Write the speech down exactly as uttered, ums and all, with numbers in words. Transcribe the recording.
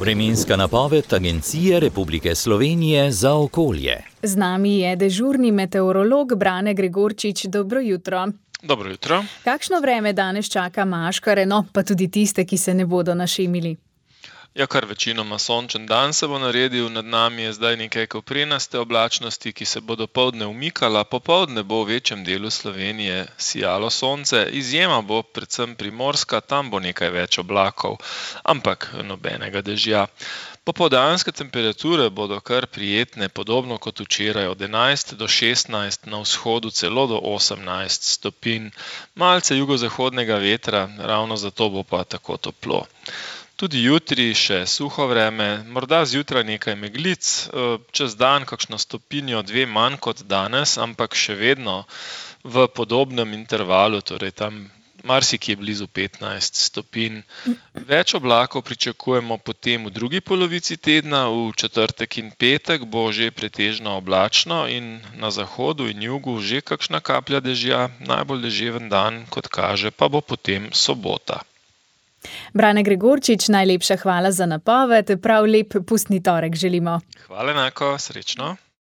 Vremenska napoved Agencije Republike Slovenije za okolje. Z nami je dežurni meteorolog Brane Gregorčič. Dobro jutro. Dobro jutro. Kakšno vreme danes čaka maškare, no pa tudi tiste, ki se ne bodo našemili? Ja, kar večinoma sončen dan se bo naredil, nad nami je zdaj nekaj koprenaste oblačnosti, ki se bo dopoldne umikala, popoldne bo v večjem delu Slovenije sijalo sonce, izjema bo predvsem primorska, tam bo nekaj več oblakov, ampak nobenega dežja. Popoldanske temperature bodo kar prijetne, podobno kot včeraj, od enajst do šestnajst, na vzhodu celo do osemnajst stopinj. Malce jugozahodnega vetra, ravno zato bo pa tako toplo. Tudi jutri še suho vreme, morda zjutraj nekaj meglic, čez dan kakšno stopinjo, dve manj kot danes, ampak še vedno v podobnem intervalu, torej tam marsikje blizu petnajst stopinj. Več oblakov pričakujemo potem v drugi polovici tedna, v četrtek in petek bo že pretežno oblačno in na zahodu in jugu že kakšna kaplja dežja, najbolj deževen dan, kot kaže, pa bo potem sobota. Brane Gregorčič, najlepša hvala za napoved, prav lep pustni torek želimo. Hvala enako, srečno.